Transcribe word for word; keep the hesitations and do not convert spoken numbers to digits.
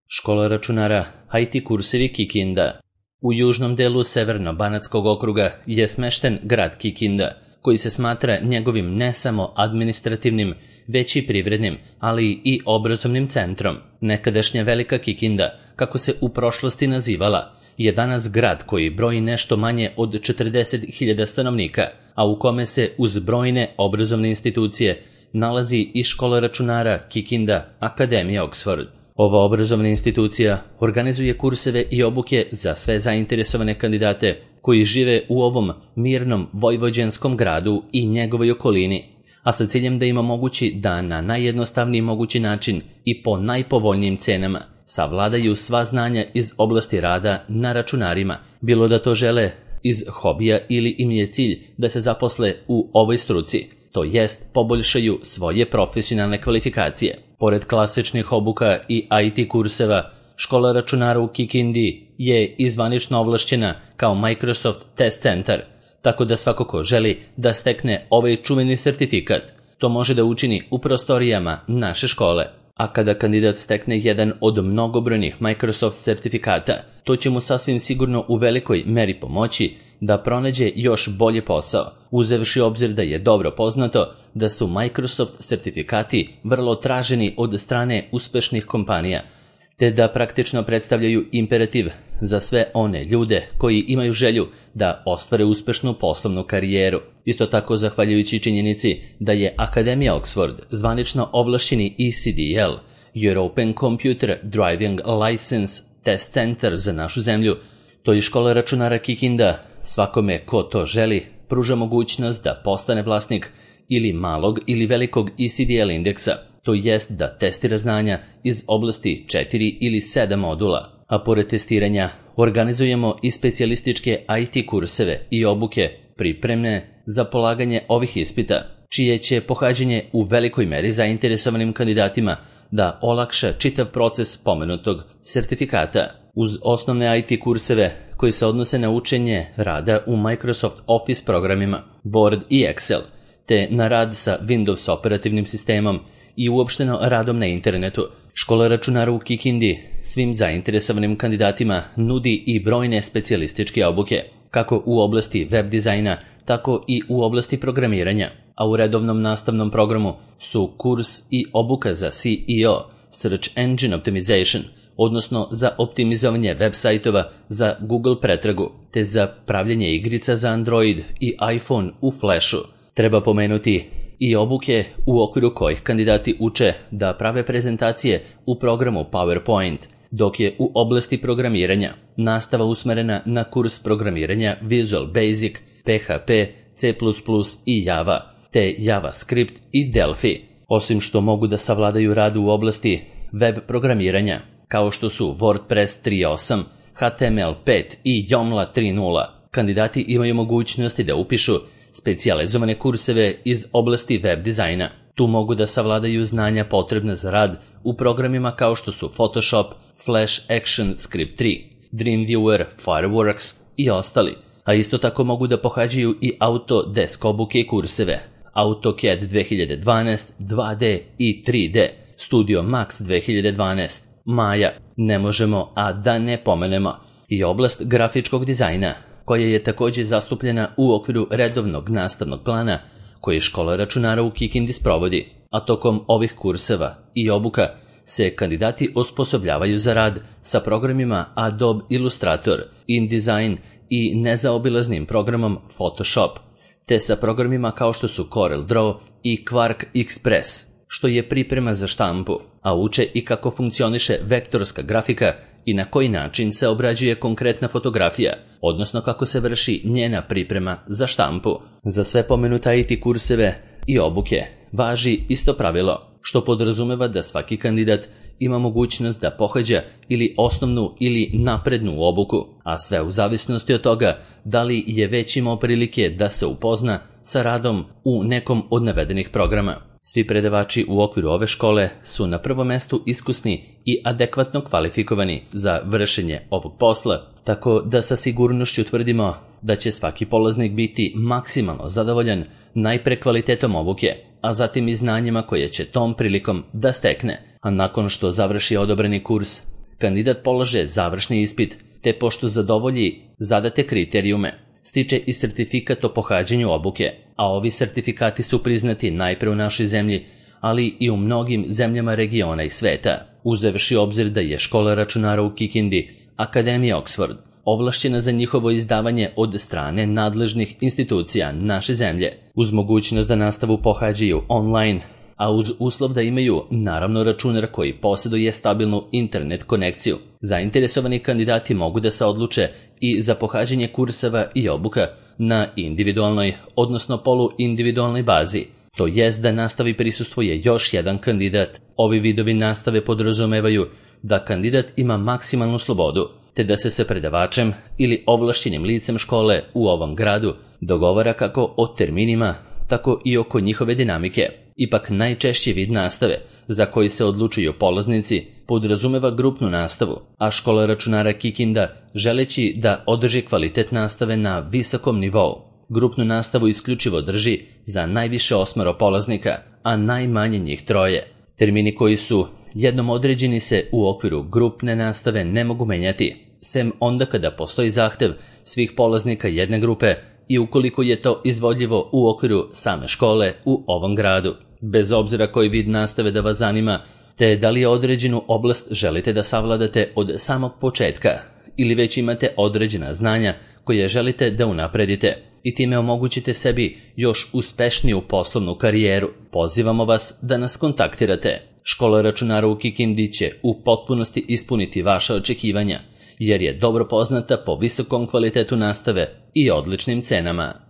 Škola računara I T kursevi Kikinda. U južnom delu Severno-Banatskog okruga je smešten grad Kikinda, koji se smatra njegovim ne samo administrativnim, već i privrednim, ali i obrazovnim centrom. Nekadašnja Velika Kikinda, kako se u prošlosti nazivala, je danas grad koji broji nešto manje od četrdeset hiljada stanovnika, a u kome se uz brojne obrazovne institucije nalazi i škola računara Kikinda Akademija Oxford. Ova obrazovna institucija organizuje kurseve i obuke za sve zainteresovane kandidate koji žive u ovom mirnom vojvođanskom gradu i njegovoj okolini, a sa ciljem da im omogući da na najjednostavniji mogući način i po najpovoljnijim cenama savladaju sva znanja iz oblasti rada na računarima, bilo da to žele iz hobija ili im je cilj da se zaposle u ovoj struci, to jest poboljšaju svoje profesionalne kvalifikacije. Pored klasičnih obuka i I T kurseva, škola računara u Kikindi je i zvanično ovlašćena kao Microsoft Test Center, tako da svako ko želi da stekne ovaj čuveni sertifikat, to može da učini u prostorijama naše škole. A kada kandidat stekne jedan od mnogobrojnih Microsoft sertifikata, to će mu sasvim sigurno u velikoj meri pomoći da pronađe još bolje posao, uzevši obzir da je dobro poznato da su Microsoft sertifikati vrlo traženi od strane uspešnih kompanija, te da praktično predstavljaju imperativ za sve one ljude koji imaju želju da ostvare uspešnu poslovnu karijeru. Isto tako, zahvaljujući činjenici da je Akademija Oxford zvanično ovlašćeni E C D L, European Computer Driving License Test Center za našu zemlju, to i škola računara Kikinda svakome ko to želi pruža mogućnost da postane vlasnik ili malog ili velikog E C D L indeksa, to jest da testira znanja iz oblasti četiri ili sedam modula, a pored testiranja organizujemo i specijalističke I T kurseve i obuke pripremne za polaganje ovih ispita, čije će pohađanje u velikoj meri zainteresovanim kandidatima da olakša čitav proces pomenutog sertifikata. Uz osnovne I T kurseve koji se odnose na učenje rada u Microsoft Office programima, Word i Excel, te na rad sa Windows operativnim sistemom i uopšteno radom na internetu, škola računara u Kikindi svim zainteresovanim kandidatima nudi i brojne specijalističke obuke, kako u oblasti web dizajna, tako i u oblasti programiranja, a u redovnom nastavnom programu su kurs i obuka za S E O, Search Engine Optimization, odnosno za optimizovanje web sajtova za Google pretragu, te za pravljenje igrica za Android i iPhone u Flashu. Treba pomenuti i obuke u okviru kojih kandidati uče da prave prezentacije u programu PowerPoint, dok je u oblasti programiranja nastava usmerena na kurs programiranja Visual Basic, P H P, C plus plus i Java, te JavaScript i Delphi, osim što mogu da savladaju rad u oblasti web programiranja, kao što su WordPress tri osam, H T M L pet i Joomla tri nula. Kandidati imaju mogućnosti da upišu specijalizovane kurseve iz oblasti web dizajna. Tu mogu da savladaju znanja potrebne za rad u programima kao što su Photoshop, Flash Action Script tri, Dreamweaver, Fireworks i ostali. A isto tako mogu da pohađaju i Autodesk obuke i kurseve, AutoCAD dve hiljade dvanaest, dva D i tri D, Studio Max dve hiljade dvanaest, Maya, ne možemo a da ne pomenemo i oblast grafičkog dizajna, koja je također zastupljena u okviru redovnog nastavnog plana koji škola računara u Kikindi sprovodi, a tokom ovih kurseva i obuka se kandidati osposobljavaju za rad sa programima Adobe Illustrator, InDesign i nezaobilaznim programom Photoshop, te sa programima kao što su Corel Draw i Quark Express, što je priprema za štampu, a uče i kako funkcioniše vektorska grafika i na koji način se obrađuje konkretna fotografija, odnosno kako se vrši njena priprema za štampu. Za sve pomenute I T kurseve i obuke važi isto pravilo, što podrazumeva da svaki kandidat ima mogućnost da pohađa ili osnovnu ili naprednu obuku, a sve u zavisnosti od toga da li je već imao prilike da se upozna sa radom u nekom od navedenih programa. Svi predavači u okviru ove škole su na prvom mestu iskusni i adekvatno kvalifikovani za vršenje ovog posla, tako da sa sigurnošću tvrdimo da će svaki polaznik biti maksimalno zadovoljan najpre kvalitetom obuke, a zatim i znanjima koje će tom prilikom da stekne. A nakon što završi odobreni kurs, kandidat polaže završni ispit, te pošto zadovolji zadate kriterijume, stiče i sertifikat o pohađanju obuke, a ovi sertifikati su priznati najpre u našoj zemlji, ali i u mnogim zemljama regiona i sveta, uzevši obzir da je škola računara u Kikindi, Akademija Oxford, ovlašćena za njihovo izdavanje od strane nadležnih institucija naše zemlje, uz mogućnost da nastavu pohađaju online, a uz uslov da imaju naravno računar koji posjeduje stabilnu internet konekciju. Zainteresovani kandidati mogu da se odluče i za pohađanje kurseva i obuka na individualnoj, odnosno poluindividualnoj bazi, to jest da nastavi prisustvuje još jedan kandidat. Ovi vidovi nastave podrazumevaju da kandidat ima maksimalnu slobodu, te da se sa predavačem ili ovlašćenim licem škole u ovom gradu dogovara kako o terminima, tako i oko njihove dinamike. Ipak najčešći vid nastave za koji se odlučuju polaznici podrazumeva grupnu nastavu, a škola računara Kikinda, želeći da održi kvalitet nastave na visokom nivou, grupnu nastavu isključivo drži za najviše osmero polaznika, a najmanje njih troje. Termini koji su jednom određeni se u okviru grupne nastave ne mogu menjati, sem onda kada postoji zahtev svih polaznika jedne grupe i ukoliko je to izvodljivo u okviru same škole u ovom gradu. Bez obzira koji vid nastave da vas zanima, te da li je određenu oblast želite da savladate od samog početka ili već imate određena znanja koje želite da unapredite i time omogućite sebi još uspešniju poslovnu karijeru, pozivamo vas da nas kontaktirate. Škola računara u Kikindi će u potpunosti ispuniti vaša očekivanja, jer je dobro poznata po visokom kvalitetu nastave i odličnim cenama.